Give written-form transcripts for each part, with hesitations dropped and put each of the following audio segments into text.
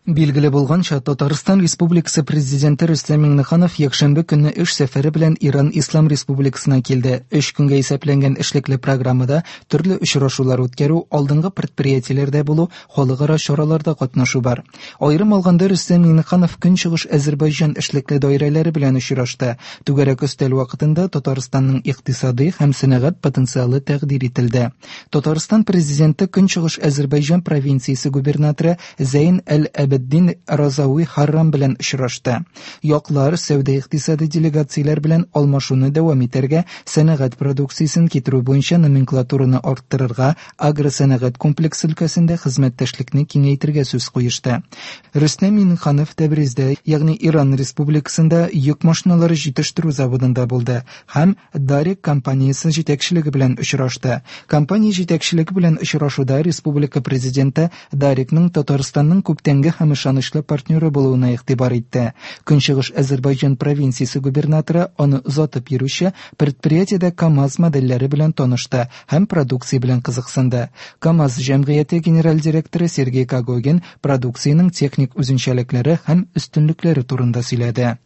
Билгеле булганча, Татарстан Республикасы Президенты Рөстәм Миңнеханов якшәмбе көнне эш сәфәре белән Иран Ислам Республикасына килде. Өч көнгә исәпләнгән эшлекле программада төрле очрашулар үткәрү, алдынгы предприятиеләрдә булу, халыкара чараларда катнашу бар. Аерым алганда, Рөстәм Миңнеханов Көнчыгыш Әзербайҗан эшлекле даирәләре белән очрашты. Түгәрәк өстәл вакытында Татарстанның икътисадый һәм сәнәгать потенциалы тәкъдир ителде. Татарстан Президенты Көнчыгыш Әзербайҗан провинциясе губернаторы Зәйн әл-Әбеддин Разауи Харрам белән очрашты. Яклар сәүдә-икътисади делегацияләр белән алмашуны дәвам итәргә, сәнәгать продукциясен китерү буенча номенклатураны арттырырга, агросәнәгать комплексы өлкәсендә хезмәттәшлекне киңәйтергә сүз куешты. Рөстәм Миңнеханов Тәбриздә, ягъни Иран Республикасында йөк машиналары җитештерү заводында булды һәм Дарек компаниясе җитәкчелеге белән очрашты. Компания җитәкчелеге белән очрашуда республика Президенты Дарекның Татарстанның күптәнге һәм ышанычлы партнеры булуына игътибар итте. Көнчыгыш Әзербайҗан провинциясе губернаторы аны озатып йөрүче предприятиедә КАМАЗ модельләре белән танышты һәм продукция белән кызыксынды. КАМАЗ җәмгыяте генераль директоры Сергей Когогин продукциянең техник үзенчәлекләре һәм өстенлекләре турында сөйләде.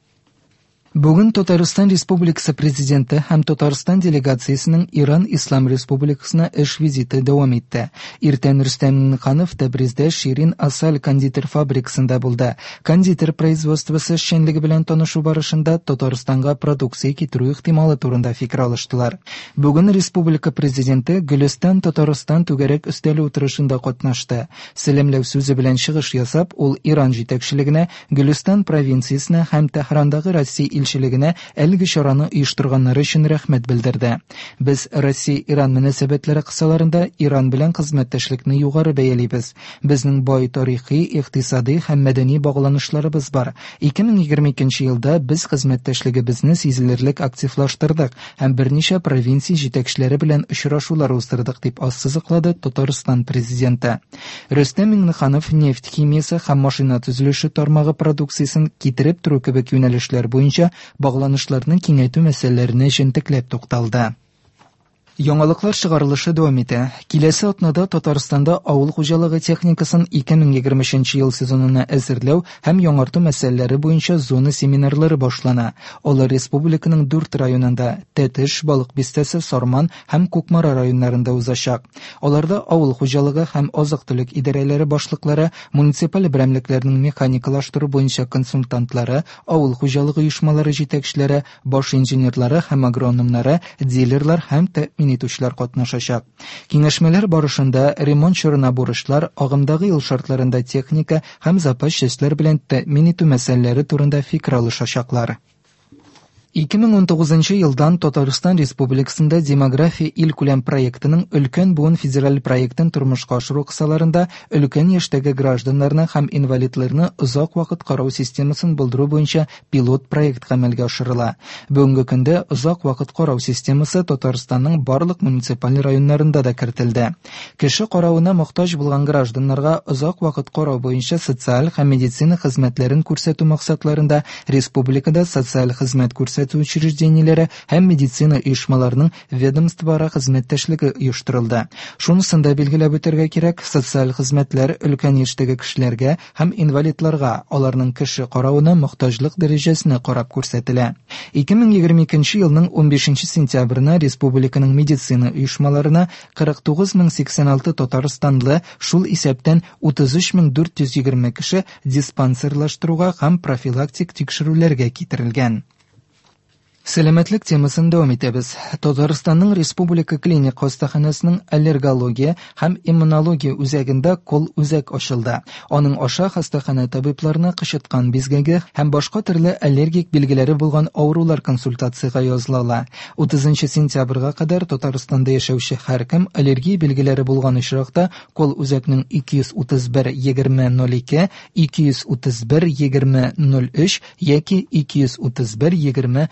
Бүген Татарстан Республикасы Президенты һәм Татарстан делегациясенең Иран Ислам Республикасына эш визиты дәвам итте. Иртән Рөстәм Миңнеханов Тәбриздә Ширин Асаль кондитер фабрикасында булды. Кондитер производствосы эшчәнлеге белән танышу барышында Татарстанга продукция китерү ихтималы турында фикер алыштылар. Бүген республика Президенты Гөлестан Татарстан түгәрәк өстәле утырышында катнашты. Сәламләү сүзе белән чыгыш ясап, ул Иран җитәкчелегенә Гөлестан провинциясенә һәм Тәһрандагы Россия илчелегенә әлеге чараны оештырганнары өчен рәхмәт белдерде. Без Россия-Иран мөнәсәбәтләре кысаларында Иран белән хезмәттәшлекне югары бәялибез. Безнең бай тарихи, икътисади һәм мәдәни багланышларыбыз бар. 2022 елда без хезмәттәшлегебезне сизелерлек активлаштырдык һәм берничә провинция җитәкчеләре белән очрашулар уздырдык, дип ассызыклады Татарстан Президенты. Рөстәм Миңнеханов нефть химиясе һәм машина төзелеше тармагы продукциясен китереп тору кебек юнәлешләр буенча багланышларны киңәйтү мәсьәләләренә җентекләп тукталды. Яңалыклар чыгарылышы дәвам итә. Киләсе атнада Татарстанда авыл хуҗалыгы техникасын 2023 ел сезонына әзерләү һәм яңарту мәсьәләләре буенча зона семинарлары башлана. Алар республиканың дүрт районында, Тәтеш, Балык Бистәсе, Сарман һәм Кукмара районнарында узачак. Аларда авыл хуҗалыгы һәм азык-төлек идарәләре башлыклары, муниципаль берәмлекләрнең механикалаштыру буенча консультантлары, авыл хуҗалыгы оешмалары җитәкчеләре, баш инженерлары һәм агрономнары, дилерлар һәм тәэмин итүчеләр катнашачак. Киңәшмәләр барышында ремонт чорына бурычлар, агымдагы ел шартларында техника һәм запас частьләр белән тәэмин итү мәсьәләләре турында фикер алышачаклар. 2019 елдан Татарстан Республикасында Демография илкүләм проектының Өлкән буын федераль проектын тормышка ашыру кысаларында өлкән яшьтәге гражданнарны һәм инвалидларны озак вакыт карау системасын булдыру буенча пилот проект гамәлгә ашырыла. Бүгенге көндә озак вакыт карау системасы Татарстанның барлык муниципаль районнарында да кертелде. Кеше каравына мохтаҗ булган гражданнарга озак вакыт карау буенча социаль һәм медицина хезмәтләрен күрсәтү максатларында республикада социаль хезмәт күрсәтү учреждениеләре һәм медицина оешмаларының ведомствоара хезмәттәшлеге оештырылды. Шунысын да билгеләп үтәргә кирәк, социаль хезмәтләр өлкән яшьтәге кешеләргә һәм инвалидларга аларның кеше каравына мохтаҗлык дәрәҗәсенә карап күрсәтелә. 2022 елның 15 сентябренә республиканың медицина оешмаларына 49086 татарстанлы, шул исәптән 33420 кеше диспансерлаштыруга һәм профилактик тикшерүләргә китерелгән. Сәламәтлек темасын дәвам итәбез. Татарстанның Республика клиник хастаханәсенең аллергология һәм иммунология үзәгендә кол-үзәк ачылды. Аның аша хастаханә табибларына кычыткан бизгәге һәм башка төрле аллергик билгеләре булган авырулар консультациягә языла ала. 30 сентябрьгә кадәр Татарстанда яшәүче һәркем аллергия билгеләре булган очракта Кол-үзәкнең 231 20 02, 231 20 03 яки 231 20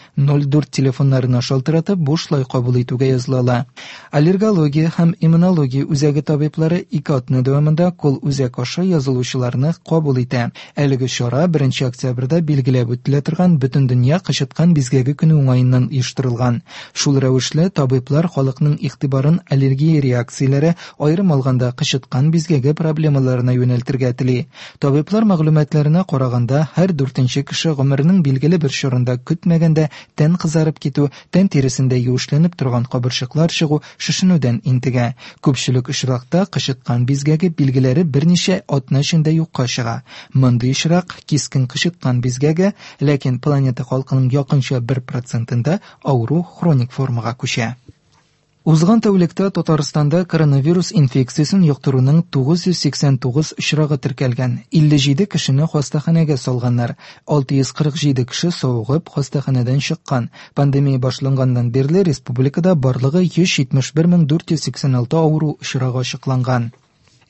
04 телефоннарына шалтыратып бушлай кабул итүгә языла ала. Аллергология һәм иммунология үзәге табиблары ике атна дәвамында колл-үзәк аша язылучыларны кабул итә. Әлеге чара 1 октябрьдә билгеләп үтелә торган Бөтендөнья кычыткан бизгәге көне уңаеннан оештырылган. Шул рәвешле табиблар халыкның игътибарын аллергия реакцияләре, аерым алганда кычыткан бизгәге проблемаларына юнәлтергә тели. Табиблар мәгълүматларына караганда, һәр дүртенче кеше гомеренең билгеле бер чорында көтмәгәндә тән кызарып китү, тән тиресендә юешләнеп торган кабырчыклар чыгу, шешенүдән интегә. Күпчелек очракта кычыткан бизгәге билгеләре берничә атна эчендә юкка чыга. Мондый очрак кискен кычыткан бизгәге, ләкин планета халкының якынча 1 процентында авыру хроник формага күчә. Узган тәүлектә Татарстанда коронавирус инфекциясен йоктыруның 989 очрагы теркәлгән. 57 кешене хастаханәгә салганнар. 647 кеше савыгып хастаханәдән чыккан. Пандемия башланганнан бирле республикада барлыгы 171 486 авыру очрагы ачыкланган.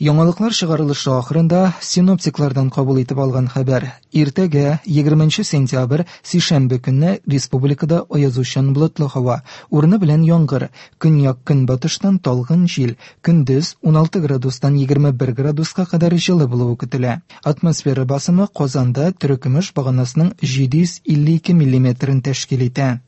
Яңалыклар чыгарылышы ахырында синоптиклардан кабул итеп алган хәбәр. Иртәгә, 20 сентябрь, сишәмбе көнне республикада аязучан болытлы һава, урыны белән яңгыр, көньяк-көнбатыштан талгын җил, көндез 16 градустан 21 градуска кадәр җылы булуы көтелә. Атмосфера басымы Казанда терекөмеш баганасының 752 миллиметрын тәшкил итә.